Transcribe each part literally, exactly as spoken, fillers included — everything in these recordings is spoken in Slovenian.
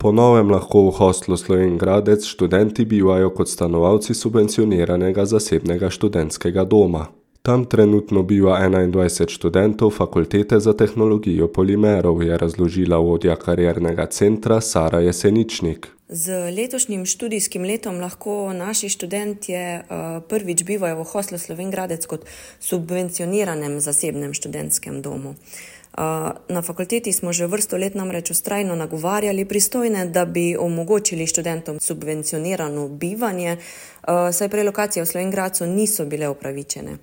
Po novem lahko v hostlu Slovenj Gradec študenti bivajo kot stanovalci subvencioniranega zasebnega študentskega doma. Tam trenutno biva enaindvajset študentov Fakultete za tehnologijo polimerov, je razložila vodja kariernega centra Sara Jeseničnik. Z letošnjim študijskim letom lahko naši študentje prvič bivajo v hostlu Slovenj Gradec kot subvencioniranem zasebnem študentskem domu. Na fakulteti smo že vrsto let namreč vztrajno nagovarjali pristojne, da bi omogočili študentom subvencionirano bivanje, saj prelokacije v Slovenj Gradcu niso bile upravičene.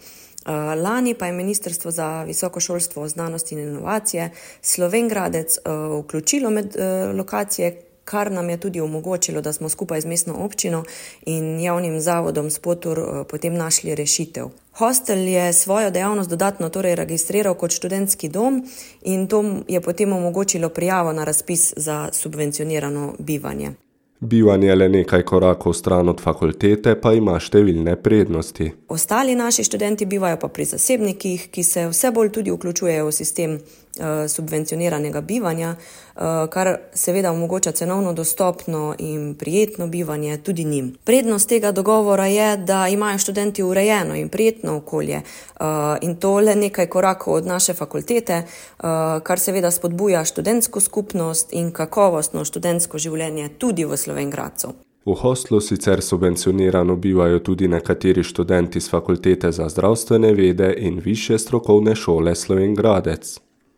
Lani pa je Ministrstvo za visoko šolstvo, znanost in inovacije Slovenj Gradec vključilo med lokacije, kar nam je tudi omogočilo, da smo skupaj z mestno občino in javnim zavodom Spotur potem našli rešitev. Hostel je svojo dejavnost dodatno torej registriral kot študentski dom in to je potem omogočilo prijavo na razpis za subvencionirano bivanje. Bivanje le nekaj korakov stran od fakultete pa ima številne prednosti. Ostali naši študenti bivajo pa pri zasebnikih, ki se vse bolj tudi vključujejo v sistem subvencioniranega bivanja, kar seveda omogoča cenovno dostopno in prijetno bivanje tudi njim. Prednost tega dogovora je, da imajo študenti urejeno in prijetno okolje in to le nekaj korakov od naše fakultete, kar seveda spodbuja študentsko skupnost in kakovostno študentsko življenje tudi v Slovenj Gradcu. V hostlu sicer subvencionirano bivajo tudi nekateri študenti z Fakultete za zdravstvene vede in Višje strokovne šole Slovenj Gradec.